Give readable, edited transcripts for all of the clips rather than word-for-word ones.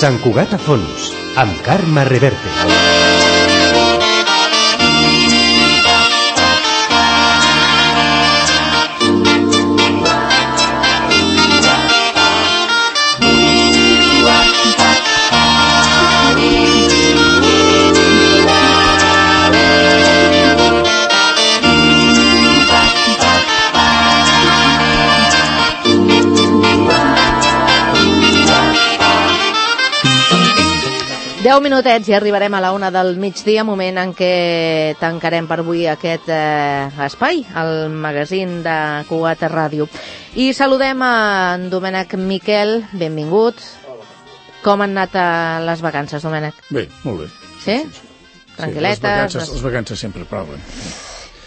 Sant Cugat a fons, amb Carme Reverte. Deu minutets i arribarem a la 1 del migdia, moment en què tancarem per avui aquest espai, el magazín de Cugat Ràdio. I saludem a en Domènec Miquel, benvingut. Com han anat les vacances, Domènec? Bé, molt bé. Sí? Tranquil·letes? Les vacances sempre proven.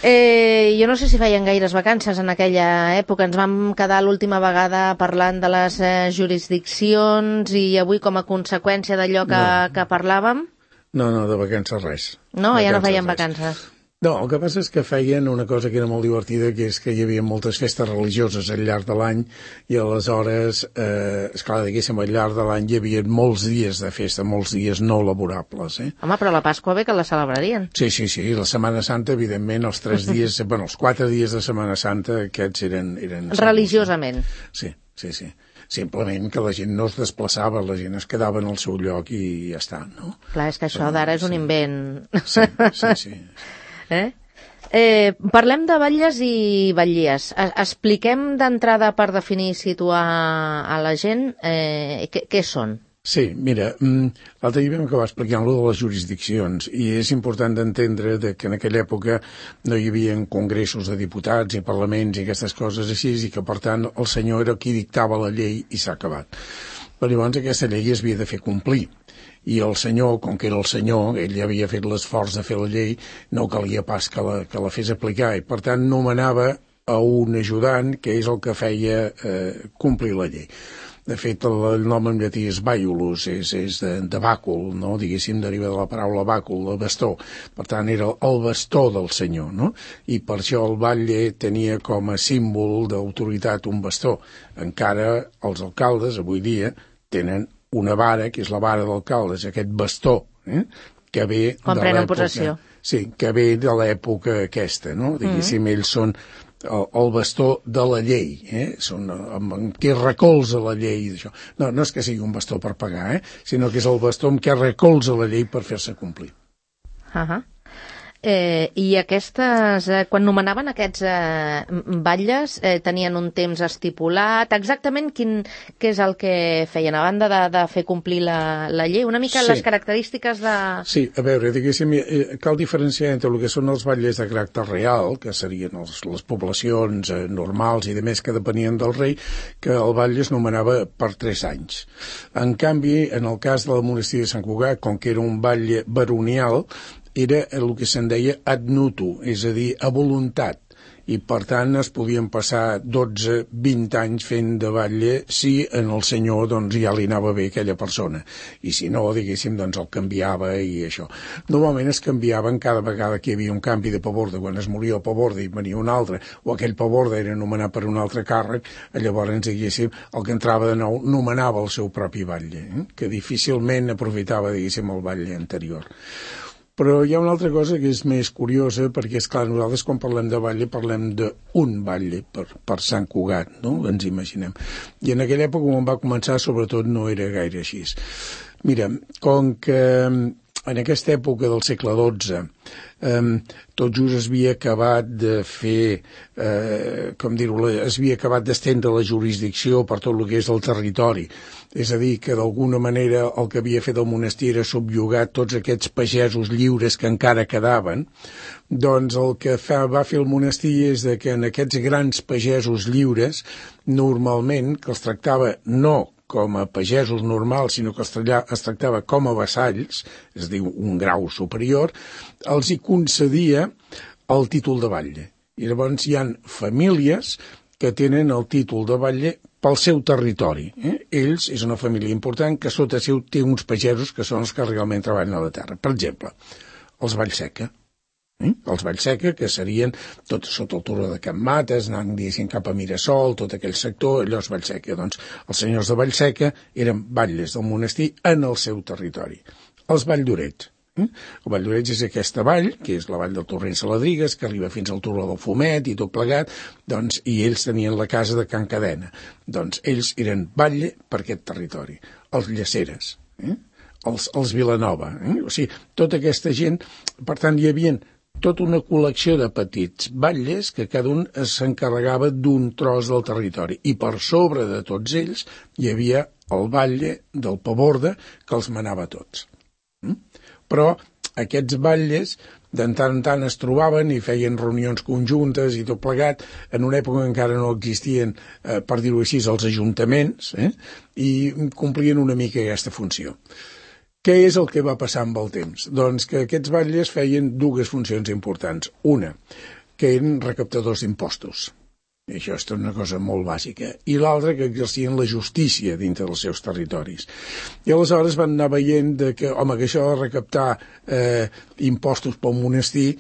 Jo no sé si feien gaires vacances en aquella època. Ens vam quedar l'última vegada parlant de les jurisdiccions i avui, com a conseqüència d'allò que parlàvem... No, de vacances res. No, ja no feien vacances. No, el que passa és que feien una cosa que era molt divertida, que és que hi havia moltes festes religioses al llarg de l'any i aleshores, esclar, diguéssim, al llarg de l'any hi havia molts dies de festa, molts dies no laborables. Home, però la Pasqua bé que la celebrarien. Sí, la Setmana Santa, evidentment, els 3 dies, els 4 dies de Setmana Santa, aquests eren religiosament. Sí. Simplement que la gent no es desplaçava, la gent es quedava en el seu lloc i ja està, no? Clar, és que això d'ara és un invent. Sí. Parlem de batlles i batllies. Expliquem d'entrada, per definir i situar a la gent, què són. Sí, mira, l'altre dia vam acabar explicant-lo de les jurisdiccions i és important d'entendre que en aquella època no hi havia congressos de diputats i parlaments i aquestes coses així i que, per tant, el senyor era qui dictava la llei i s'ha acabat. Però llavors aquesta llei es havia de fer complir. I el senyor, com que era el senyor, ell havia fet l'esforç de fer la llei, no calia pas que la fes aplicar i, per tant, nomenava a un ajudant que és el que feia complir la llei. De fet, el nom en llatí és bàculus, és de bàcul, no? Diguéssim, deriva de la paraula bàcul, el bastó. Per tant, era el bastó del senyor, no? I per això el batlle tenia com a símbol d'autoritat un bastó. Encara els alcaldes, avui dia, tenen una vara, que és la vara d'alcaldes, aquest bastó, que ve de l'època... Quan prenen possessió. Sí, que ve de l'època aquesta, no? Diguéssim, ells són el bastó de la llei, són amb què recolza la llei d'això. No és que sigui un bastó per pagar, sinó que és el bastó amb què recolza la llei per fer-se complir. I aquestes, quan nomenaven aquests batlles, tenien un temps estipulat. Exactament què és el que feien, a banda de fer complir la llei? Una mica les característiques de... Sí, a veure, diguéssim, cal diferenciar entre el que són els batlles de caràcter real, que serien les poblacions normals i de més que depenien del rei, que el batlle es nomenava per 3 anys. En canvi, en el cas del monestir de Sant Cugat, com que era un batlle baronial, era el que se'n deia ad nutu, és a dir, a voluntat, i per tant es podien passar 12-20 anys fent de batlle si en el senyor doncs ja li anava bé aquella persona, i si no, diguéssim, doncs el canviava i això. Normalment es canviaven cada vegada que hi havia un canvi de paborde, quan es moria el paborde i venia un altre, o aquell paborde era nomenat per un altre càrrec, llavors, diguéssim, el que entrava de nou nomenava el seu propi batlle, que difícilment aprofitava, diguéssim, el batlle anterior. Però hi ha una altra cosa que és més curiosa, perquè, esclar, nosaltres quan parlem de batlle parlem d'un batlle per Sant Cugat, no? Ens imaginem. I en aquella època, quan va començar, sobretot no era gaire així. Mira, com que en aquesta època del segle XII tot just es havia acabat de fer, es havia acabat d'estendre la jurisdicció per tot el que és el territori. És a dir, que d'alguna manera el que havia fet el monestir era subjugar tots aquests pagesos lliures que encara quedaven. Doncs el que va fer el monestir és que en aquests grans pagesos lliures, normalment, que els tractava no com a pagesos normals, sinó que es tractava com a vassalls, és a dir, un grau superior, els hi concedia el títol de batlle. I llavors hi ha famílies que tenen el títol de batlle pel seu territori. Ells, és una família important, que sota seu té uns pagesos que són els que realment treballen a la terra. Per exemple, els Vallseca. Els Vallseca, que serien tot sota el turó de Can Mates, anant, diguéssim, cap a Mirasol, tot aquell sector, allò és Vallseca. Doncs els senyors de Vallseca eren batlles del monestir en el seu territori. Els Valldorets. El Valldorets és aquesta vall, que és la vall del Torrent Saladrigues, que arriba fins al turó del Fumet i tot plegat, doncs, i ells tenien la casa de Can Cadena. Doncs ells eren batlle per aquest territori. Els Llaceres, els Vilanova. O sigui, tota aquesta gent, per tant, hi havia tota una col·lecció de petits batlles que cada un s'encarregava d'un tros del territori. I per sobre de tots ells hi havia el batlle del Paborde que els manava tots. Però aquests batlles de tant en tant es trobaven i feien reunions conjuntes i tot plegat. En una època encara no existien, per dir-ho així, els ajuntaments, i complien una mica aquesta funció. Què és el que va passar amb el temps? Doncs que aquests batlles feien dues funcions importants. Una, que eren recaptadors d'impostos. I això és una cosa molt bàsica. I l'altra, que exercien la justícia dintre dels seus territoris. I aleshores van anar veient que això de recaptar impostos pel monestir,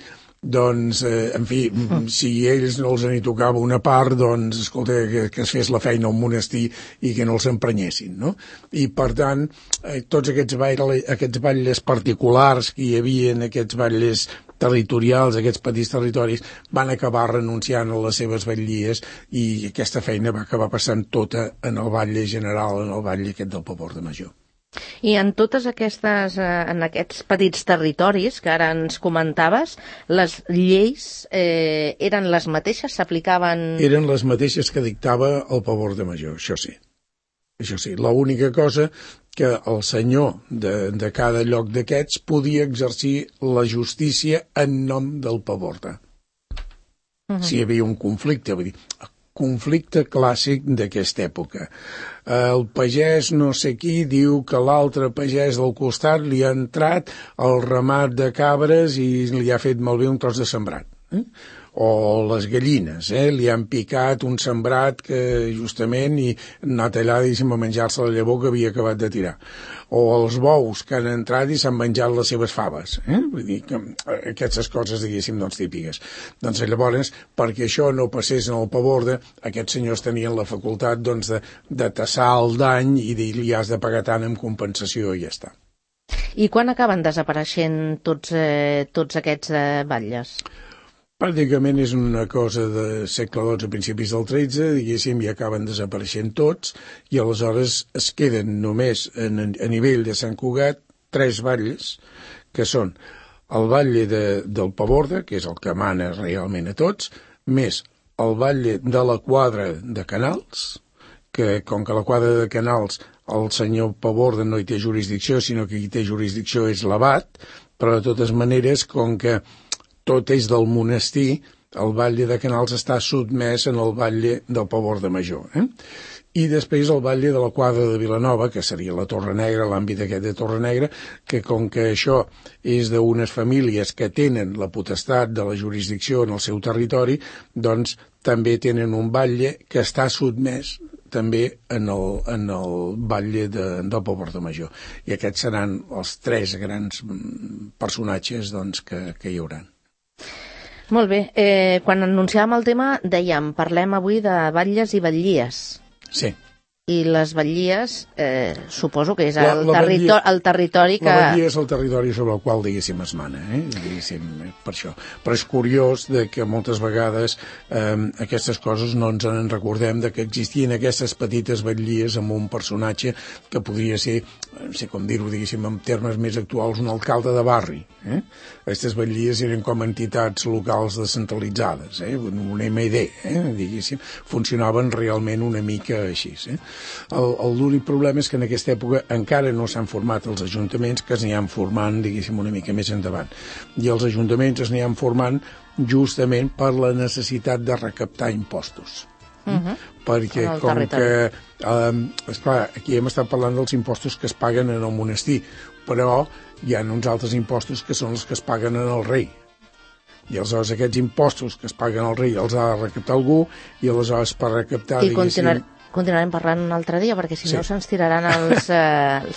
doncs, en fi, si ells no els en tocava una part, doncs, escolta, que es fes la feina al monestir i que no els emprenyessin, no? I, per tant, tots aquests batlles particulars que hi havia, aquests batlles territorials, aquests petits territoris, van acabar renunciant a les seves batllies i aquesta feina va acabar passant tota en el batlle general, en el batlle aquest del Paborde Major. I en totes aquestes, en aquests petits territoris que ara ens comentaves, les lleis eren les mateixes, s'aplicaven... Eren les mateixes que dictava el Paborde Major, això sí. Això sí, l'única cosa que el senyor de cada lloc d'aquests podia exercir la justícia en nom del Paborde. Si hi havia un conflicte, vull dir, conflicte clàssic d'aquesta època. El pagès no sé qui diu que l'altre pagès del costat li ha entrat el ramat de cabres i li ha fet malbé un tros de sembrat. O les gallines, li han picat un sembrat que justament i ha anat allà a menjar-se la llavor que havia acabat de tirar. O els bous que han entrat i s'han menjat les seves faves. Vull dir que aquestes coses, diguéssim, doncs típiques. Doncs llavors, perquè això no passés en el Paborde, aquests senyors tenien la facultat doncs, de tassar el dany i dir-li has de pagar tant en compensació i ja està. I quan acaben desapareixent tots aquests batlles? Pràcticament és una cosa de segle XII a principis del XIII, diguéssim, i acaben desapareixent tots, i aleshores es queden només a nivell de Sant Cugat 3 batlles, que són el batlle del Paborde, que és el que mana realment a tots, més el batlle de la quadra de Canals, que com que la quadra de Canals el senyor Paborde no hi té jurisdicció, sinó que qui té jurisdicció és l'abat, però de totes maneres, com que tot és del monestir, el batlle de Canals està sotmès en el batlle del Paborde Major. I després el batlle de la quadra de Vilanova, que seria la Torre Negra, l'àmbit aquest de Torre Negra, que com que això és d'unes famílies que tenen la potestat de la jurisdicció en el seu territori, doncs també tenen un batlle que està sotmès també en el batlle del Paborde Major. I aquests seran els 3 grans personatges doncs, que hi hauran. Molt bé. Quan anunciàvem el tema, dèiem, parlem avui de batlles i batllies. Sí. I les batllies, suposo que és el territori que... La batlia és el territori sobre el qual, diguéssim, es mana, diguéssim, per això. Però és curiós que moltes vegades aquestes coses no ens en recordem, de que existien aquestes petites batllies amb un personatge que podria ser, no sé com dir-ho, diguéssim, en termes més actuals, un alcalde de barri. Aquestes batllies eren com entitats locals descentralitzades, un MD, diguéssim, funcionaven realment una mica així, L'únic problema és que en aquesta època encara no s'han format els ajuntaments, que es n'hi formant, diguéssim, una mica més endavant. I els ajuntaments es n'hi formant justament per la necessitat de recaptar impostos. Perquè com que, esclar, aquí hem estat parlant dels impostos que es paguen en el monestir, però hi ha uns altres impostos que són els que es paguen en el rei. I aleshores aquests impostos que es paguen al rei els ha de recaptar algú, i aleshores per recaptar, continuarem parlant un altre dia, perquè si no se'ns tiraran els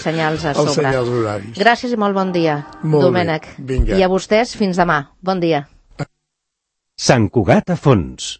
senyals a sobre. Els senyals horaris. Gràcies i molt bon dia, Domènec. Vinga. I a vostès, fins demà. Bon dia. Sant Cugat a fons.